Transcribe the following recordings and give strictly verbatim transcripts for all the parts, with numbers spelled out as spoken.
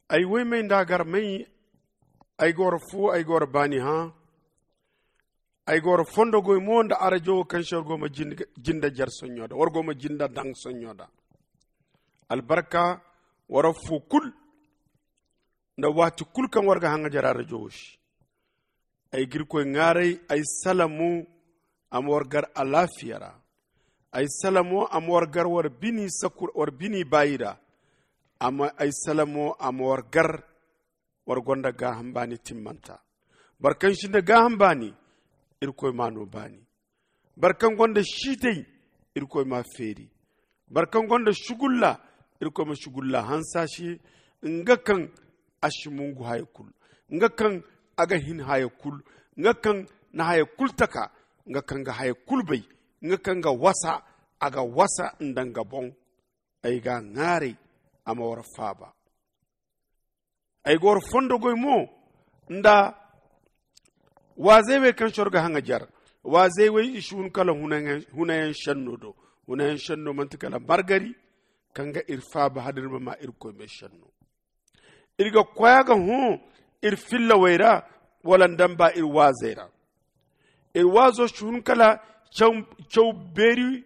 Ay woy may nda gar may. Ay ga war fu ay ga war baani hã. Ay ga war fondo goy mo nda arajo wo kaŋ se war go ma jinda jar sonɲo da war go ma jinda daŋ sonɲo da. Albarka war fu kulu nda waati kulu kaŋ war ga haŋajar arajo wo se. Ay ga irkoy ŋaaray ay salamo a ma war gar alaafiya ra. Ay salamo a ma war gar war bini baayi ra. Amma ay salamo a ma war gar war gonda gaaham baani timmanta. Boro kaŋ sinda gaaham baani, irkoy m'a no baani. Boro kaŋ gonda siitay, irkoy m'a feeri. Boro kaŋ gonda sugulla, irkoy ma sugulla hanse a se. Nga kaŋ a si mungu haya kulu, nga kaŋ a ga hin haya kulu, nga kaŋ na haya kulu taka, nga kaŋ ga haya kulu bay, nga kaŋ ga wasa, a ga wasa nda nga boŋ. Ay g'a ŋaaray a ma war faaba. Ay ga war fondo goy mo nda waazey wey kaŋ se war ga haŋajar. Waazey wey i si hun kala hunayaŋ senno do. Hunayaŋ senno manti kala margari kaŋ ga iri faaba hala iri ma maa irkoy me senno. Iri ga koy a ga hõ iri fillawey ra, wala nda nba iri waazey ra. Iri waazo si hun kala caw beeri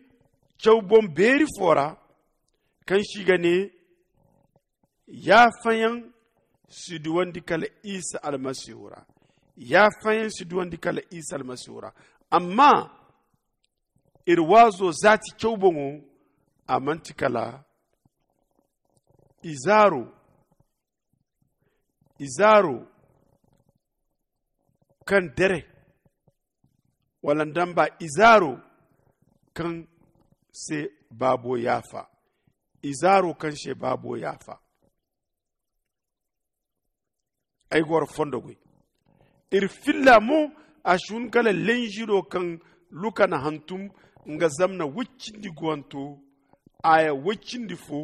caw boŋ beeri fo ra, kaŋ se i ga ne yaafayaŋ si duwandi kala isa almasihu ra. Yaafayaŋ si duwandi kala isa almasihu ra. Amma iri waazo zaati caw boŋo a manti kala izaaro izaaro kaŋ dere, wala nda nba izaaro kaŋ se baabo yaafa. Izaaro kaŋ se baabo yaafa. Ay ga war fondo goy. Iri filla mo a si hun kala lenjiro kaŋ luka na hantum nga zamna woy cindi guwanto, aya woy cindi fo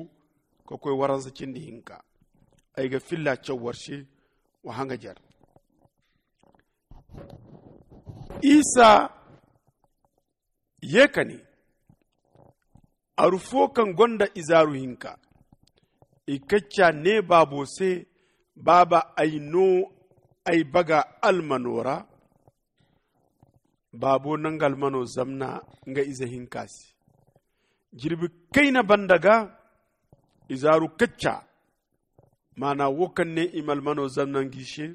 ka koy waransa cindi hinka. Ay ga filla caw war se wa haŋajar. Isa ye ka ne, aru fo kaŋ gonda izaaru hinka. I kacca ne baabo se, baaba, ay no ay baga almano ra. Baabo na nga almano zamna nga ize hinka se. Jirbi kayna banda ga izaaru kacca, maana wo kaŋ ne i ma almano zamna nga i se.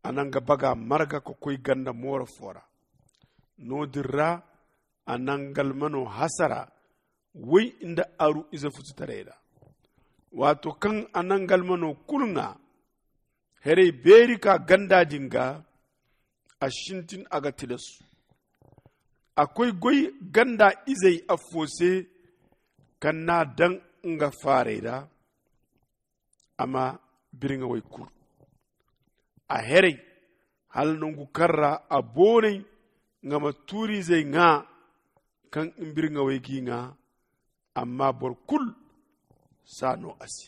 A na nga baga marga ka koy ganda mooro fo ra. No- din ra a na nga almano hasara woy nda aru ize fututaray ra. Waato kaŋ a na nga almano kulu ŋwa, heray beeri ka ganda din ga, a sintin a ga tilasu. A koy goy ganda izey affo se kaŋ n'a daŋ nga faaray ra. A ma birŋawey kuru. A heray hala nangu kaŋ ra a boonay nga ma tuuriizey ŋwa kaŋ birŋawey g'i ŋwa. Amma boro kulu s'a no a se.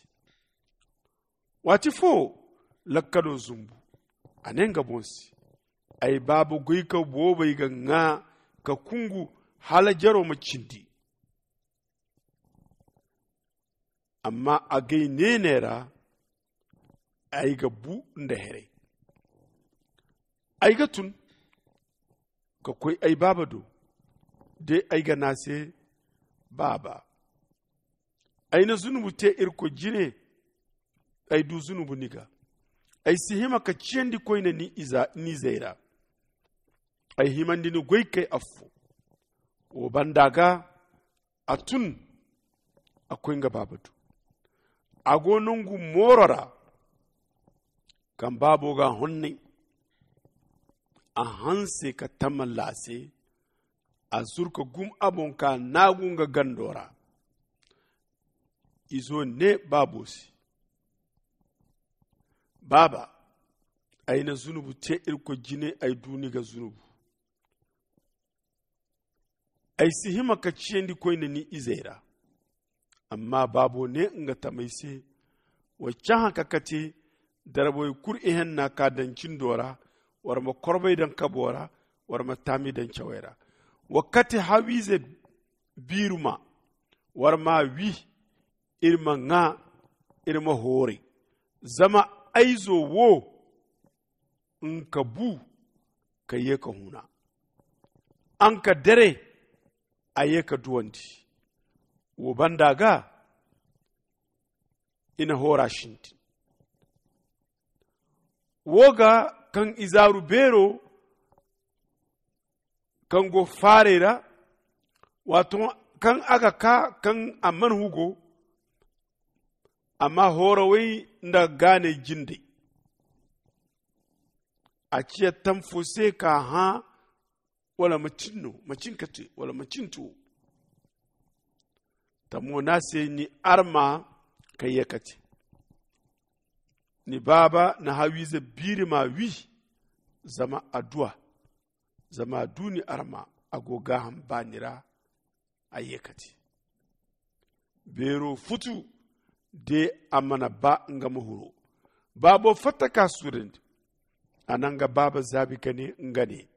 Waati fo lakkalo zumbu, a ne nga boŋ se, ay baaba goyka boobey ga ŋwa ka kungu hala jaro ma cindi. Amma a gay neene ra ay ga bu nda heray. Ay ga tun ka koy ay baaba do de ay ga ne a se, baaba, ay na zunubu te irkoy jine. Ay du zunubu ni ga. Ay si hima ka ciyandi koyne ni izey ra. Ay himandi ni goy kay affo. Wo banda ga a tun a koy nga baaba do. A go nangu mooro ra kaŋ baabo ga a honnay. A hanse ka tamalla a se. A zuru ka gum a boŋ ka naagu nga gando ra. Izo ne baabo se, baaba, ay na zunubu te irkoy jine. Ay du ni ga zunubu. Ay si hima ka ciyandi koyne ni izey ra. Amma baabo ne nga tamey se, wa cahã ka kate darbawey kulu ihenna ka daŋ cindo ra. War ma korbey daŋ kabo ra. War ma taami daŋ cawey ra. Wa kate hawiize biiruma. War m'a wi. Iri ma ŋwa, iri ma hooray. Zama ay zo wo nga bu ka ye ka huna, a nga dere a ye ka duwandi. Wo banda ga i na hoora sintin wo ga kaŋ izaaru beero kaŋ go faarey ra, waato kaŋ a ga kaa kaŋ a mana hugo, amma hoorawey nda gaaney jindey a ciya tam fo se ka hã wala macin no macin ka te wala macin to. Tamo no a se ni arma ka ye ka te ni baaba na hawiize biiri ma wi. Zama adduwa zama a du ni arma a go gaaham baani ra. A ye ka te beero futu de a mana ba nga ma huro. Baabo fatta ka suurandi a na nga baaba zaabi ka ne nga ne,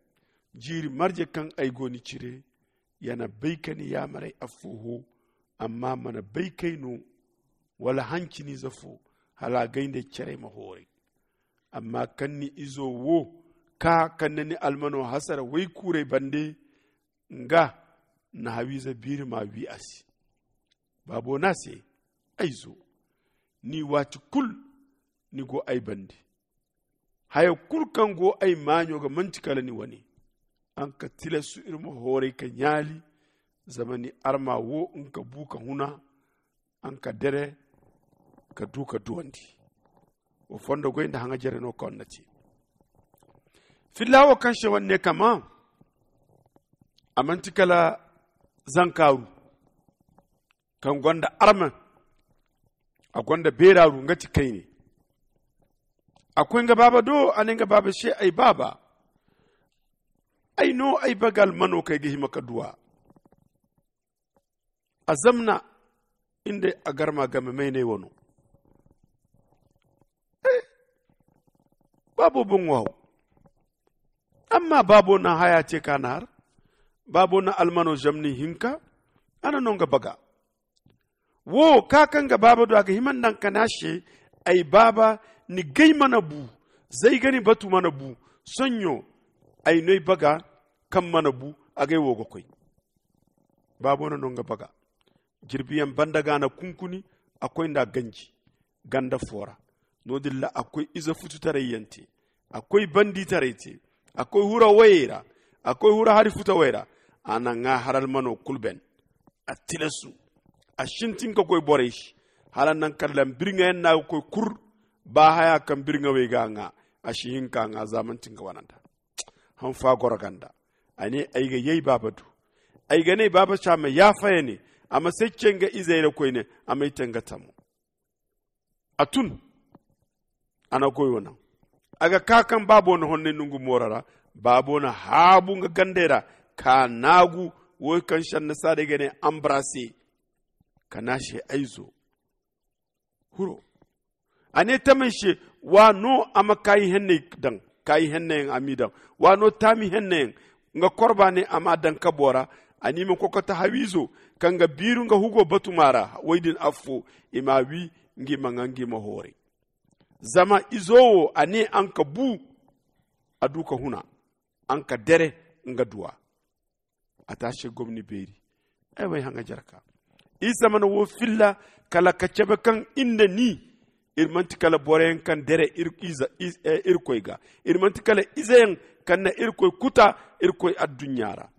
jiiri marje kaŋ ay go ni cire ya na bay ka ni yaamaray affooho, amma mana bay kay no wala hanciniize fo hala a gay nda ay caray ma hooray. Amma kaŋ ni izo wo kaa kaŋ na ni almano hasara waykuuray bande, nga na hawiize biiri ma wi a se. Baabo no a se, ay zo, ni waati kulu ni go ay bande. Haya kulu kaŋ go ay maaɲo ga manti kala ni wane. A nga tilasu iri ma hooray ka ɲaali. Zama ni arma wo nga bu ka huna a nga dere ka du ka duwandi. Wo fondo goy nda haŋa jere no kaŋ na te filla wo kaŋ se wane ne kama. A manti kala zankaaru kaŋ gonda arma a gonda beeraaru nga ti kayne. A koy nga baaba do a ne nga baaba se ay baaba, ay no ay baga almano kaŋ ay ga hima ka duw'a. A zamna nda a garma game maynay wano. Baabo boŋ waaw. Amma baabo na haya te ka na har. Baabo na almano zamni hinka a na no nga baga. Wo ka kaŋ ga baaba do a ga hima nda a ga kana se. Ay baaba, ni gay mana bu. Zay ga ni batu mana bu. Soɲɲo ay no ay baga kaŋ mana bu. A gay wo ga koy. Baabo na no nga baga. Jirbiyaŋ banda ga a na kunkuni. A koy nda a ganji ganda fo ra. No- din ra a koy ize fututaray yaŋ te. A koy banditaray te. A koy hura wayey ra. A koy hura hari futawey ra. A na ŋwa har almano kulu ben. A tilasu a sintin ka koy borey se. Hala nangu kaŋ lambirŋa yaŋ no a ga koy kur. Ba haya kaŋ birŋawey ga a ŋwa. A si hin ka ŋwa za manti nga wananta. Hanfa goro ganda. A ne ay ga yay baaba du. Ay ga ne baaba se a ma yaafa ya ne. A ma say ce nga izey ra koyne. A m'ay te nga tamo. A tun. A na goyo naŋ. A ga ka kaŋ baabo na honnay nongu mooro ra. Baabo na haabu nga gandey ra ka naagu. Wo kaŋ se annasaarey ga ne ambarase. Ka ne a se ay zo. Huro. A ne tamey se. Wa no a ma kaayi henney daŋ. Kaayi henneyaŋ a m'i daŋ. Wa no taami henneyaŋ. Nga korba ne a m'a daŋ kabo ra. A n'i ma kokota hawiizo kaŋ ga biiru nga hugo batuma ra. Woy din affo i m'a wi. Nga i ma ŋwa nga i ma hooray. Zama izo wo a ne a nga bu. A du ka huna a nga dere nga duwa. A te a se gomni beeri. Ay way haŋa jarka. Isa mana wo filla kala ka cabe kaŋ iri nda ni. Iri manti kala boroyaŋ kaŋ dere irkoy ga. Iri manti kala izeyaŋ kaŋ na irkoy kuta irkoy adduɲɲa ra.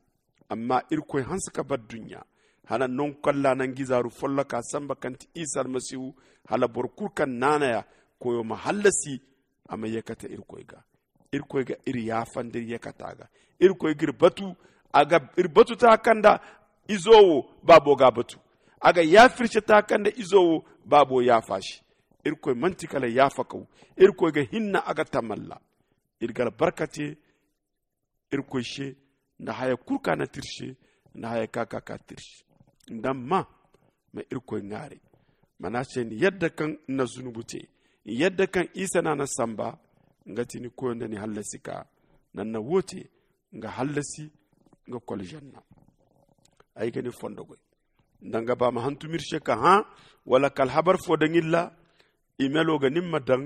Amma irkoy hanse ka bar duɲɲa. Hala nangu kaŋ ra nangu izaaru folloka samba kaŋ ti isa almasihu. Hala boro kulu kaŋ naanaya koyo ma hallasi a ma ye kate irkoy ga. Irkoy ga iri yaafandi iri ye kate a ga. Irkoy ga iri batu. A ga iri batu ta kaŋ nda izo wo baabo ga a batu. A ga yaafa iri se ta kaŋ nda izo wo baabo yaafa se. Irkoy manti kala yaafakaw. Irkoy ga hinna a ga tamalla. Iri ga albarka te irkoy se nda haya kulu kaŋ a na te iri se nda haya kaŋ a ka ka te iri se. Nda ma ma irkoy ŋwaaray. Mana se ni yadda kaŋ ni na zunubu te ni yadda kaŋ isa no a na samba. Nga ti ni koyo nda ni hallasi ka nanna wo te nga hallasi nga kol zanna. Ay ga ni fondo goy nda nga ba ma hantum iri se ka hã wala ka alhabar fo daŋ iri ra. Imelo ga nin ma daŋ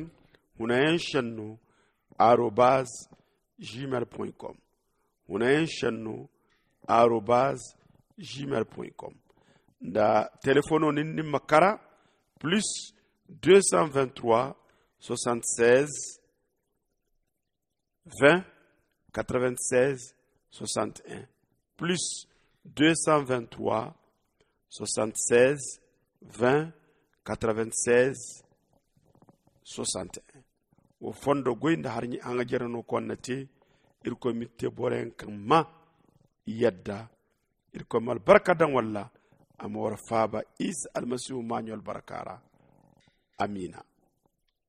hunayaŋ shenno arobaz gmail point com. Hunayaŋ shenno arobaz gmail point com. Nda telefono nin nin ma kara plus deux cent vingt trois soixante seize vingt quatre vingt seize soixante un, plus deux cent vingt trois soixante seize vingt quatre vingt seize soixante un. Wo fondo goy nda har ɲi haŋa jere no konna te. Irkoy ma te boro yaŋ kaŋ ma yadda. Irkoy ma albarka daŋ walla a ma war faaba isa almasihu maaɲo albarka ra. Amiina.